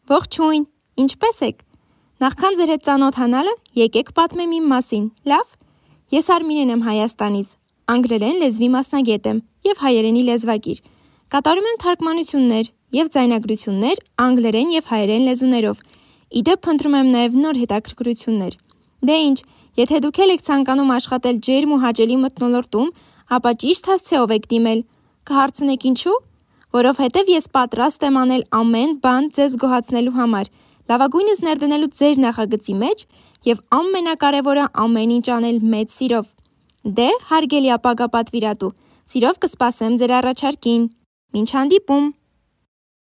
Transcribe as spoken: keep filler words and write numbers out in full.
Ողջույն, ինչպե՞ս եք։ Նախքան ձեր հետ ծանոթանալը, եկեք պատմեմ իմ մասին, լավ։ Ես Արմինեն եմ Հայաստանից, անգլերեն լեզվի մասնագետ եմ և հայերենի լեզվակիր։ Կատարում եմ թարգմանություններ և ձայնագրություններ անգլերեն և հայերեն լեզուներով։ Իդեպ փնտրում եմ նաև նոր հետաքրքրություններ։ Դե ինչ, եթե դուք էլ եք ցանկանում աշխատել ջերմ ու հաճելի մթնոլորտում, ապա ճիշտ հասցեով եք դիմել։ Կհարցնեք ինչու՞։ Որովհետև ես պատրաստ եմ անել ամեն բան ձեզ գոհացնելու համար, լավագույնս ներդնելու ձեր նախագծի մեջ և ամենակարևորը ամեն ինչ անել մեծ սիրով։ Դե, հարգելի ապագա պատվիրատու, սիրով կսպասեմ ձեր առաջարկին։ Մինչ հանդիպում։